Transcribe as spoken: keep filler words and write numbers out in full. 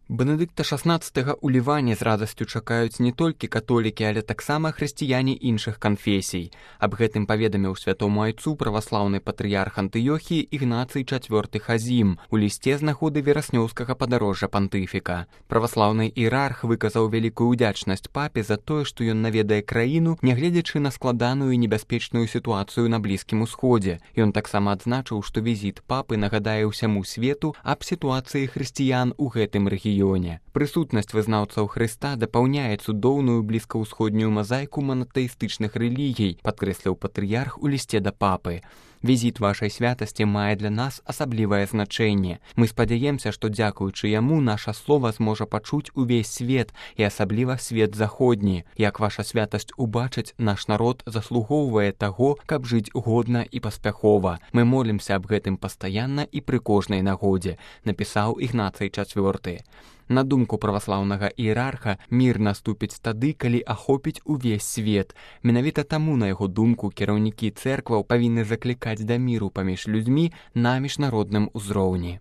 Бенедыкта шаснаццатага ў Ліване з радасцю чакаюць не толькі католікі, але таксама хрысціяне іншых канфесій. Аб гэтым паведаміў святому айцу праваслаўны патрыярх Антыёхіі Ігнацый чацвёрты Хазім у лісце з нагоды вераснёўскага падарожжа пантыфіка. Праваслаўны іерарх выказаў вялікую ўдзячнасць папе за тое, што ён наведае краіну, нягледзячы на складаную і небяспечную сітуацыю на Блізкім Усходзе. Ён таксама адзначыў, што візіт папы нагадае ўсяму свету аб сітуацыі хрысціян у гэтым рэгіёне. Прысутнасць вызнаўцаў Хрыста дапаўняе цудоўную блізкаўсходнюю мазаіку манатэістычных рэлігій, падкрэсліў патрыярх у лісце да папы. Візіт вашай святасці мае для нас асаблівае значэнне. Мы спадзяемся, што дзякуючы яму наша слова зможа пачуць увесь свет і асабліва свет заходні. Як ваша святасць убачыць, наш народ заслугоўвае таго, каб жыць годна і паспяхова. Мы молімся аб гэтым пастаянна і пры кожнай нагодзе, напісаў Ігнацый чацвёрты. На думку праваслаўнага іерарха, мір наступіць тады, калі ахопіць увесь свет. Менавіта таму, на яго думку, кіраўнікі цэркваў павінны заклікаць да міру паміж людзьмі на міжнародным узроўні.